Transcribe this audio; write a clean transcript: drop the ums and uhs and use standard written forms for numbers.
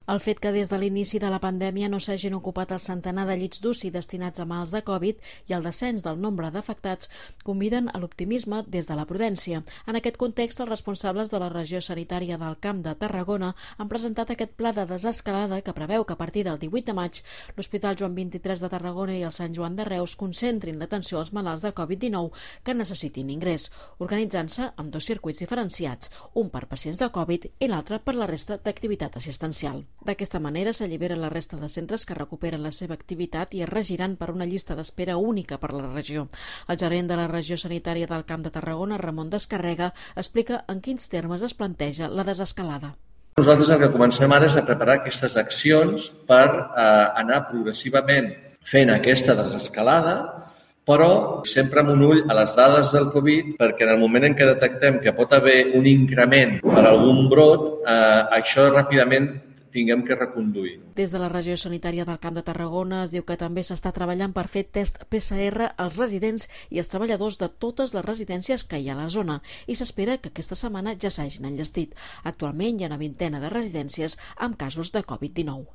El fet que des de l'inici de la pandèmia no s'hagin ocupat el centenar de llits d'UCI destinats a malalts de Covid i el descens del nombre d'afectats conviden a l'optimisme des de la prudència. En aquest context, els responsables de la regió sanitària del Camp de Tarragona han presentat aquest pla de desescalada que preveu que a partir del 18 de maig l'Hospital Joan XXIII de Tarragona i el Sant Joan de Reus concentrin l'atenció als malalts de Covid-19 que necessitin ingrés, organitzant-se amb dos circuits diferenciats, un per pacients de Covid i l'altre per la resta d'activitat assistencial. D'aquesta manera s'allibera la resta de centres que recuperen la seva activitat i es regiran per una llista d'espera única per la regió. El gerent de la regió sanitària del Camp de Tarragona, Ramon Descarrega, explica en quins termes es planteja la desescalada. Nosaltres el que comencem ara és a preparar aquestes accions per anar progressivament fent aquesta desescalada, però sempre amb un ull a les dades del Covid, perquè en el moment en què detectem que pot haver un increment per algun brot, això ràpidament tinguem que reconduir. Des de la regió sanitària del Camp de Tarragona es diu que també s'està treballant per fer test PCR als residents i als treballadors de totes les residències que hi ha a la zona i s'espera que aquesta setmana ja s'hagin enllestit. Actualment hi ha una vintena de residències amb casos de Covid-19.